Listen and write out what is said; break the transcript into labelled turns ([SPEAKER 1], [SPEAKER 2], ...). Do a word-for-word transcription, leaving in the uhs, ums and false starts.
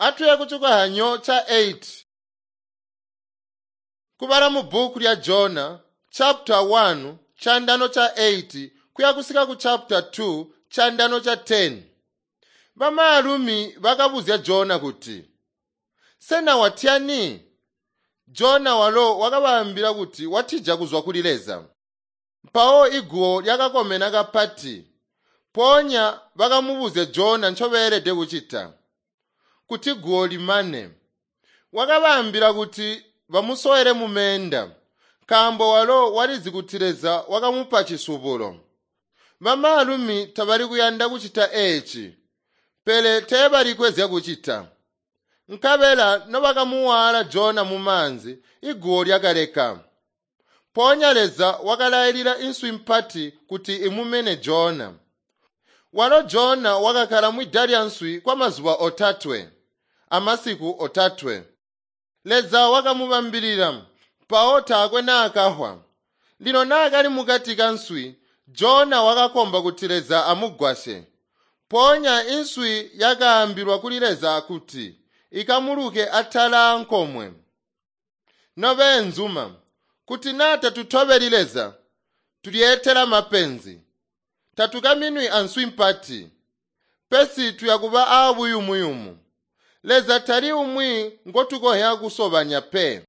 [SPEAKER 1] Atuye kucikohanyo ca eight. Kubala mu bhuku lya Jona chapter one chandano cha eight kuya kusika ku chapter two chandano cha ten. Bamaalumi bakabuzya Jona kuti, "Sena watyani?" Jona walo wakabaambila kuti watija kuzwa kuli Leza. Mpawo iguwo lyakakomena kapati. Mpoonya bakamubuzya Jona ncobeelede kucita kuti guwo limane. Wakabaambila kuti bamusowele mumeenda, nkaambo walo walizi kuti Leza wakamupa cisubulo. Bamaalumi tabali kuyanda kucita eeci, pele teebalikwe zyakucita. Nkabela nobakamuwaala Jona mumaanzi, iguwo lyakaleka. Mpoonya Leza wakalailila inswi mpati kuti imumene Jona. Walo Jona wakakkala mwida lyanswi kwamazuba otatwe amasiku otatwe. Leza wakamubambilila, mpawo taakwe naakafwa. Lino naakali mukati kanswi, Jona wakakomba kuti Leza amugwasye. Mpoonya inswi yakaambilwa kuli Leza kuti ikamuluke atala ankomwe. Nobeenzuma, kuti naa tatutobeli Leza, tulyeetela mapenzi. Tatukaminwi answi mpati, pesi tuyakuba aabuyumuyumu. Leza tali umwi ngotukonzya kusobanya pe.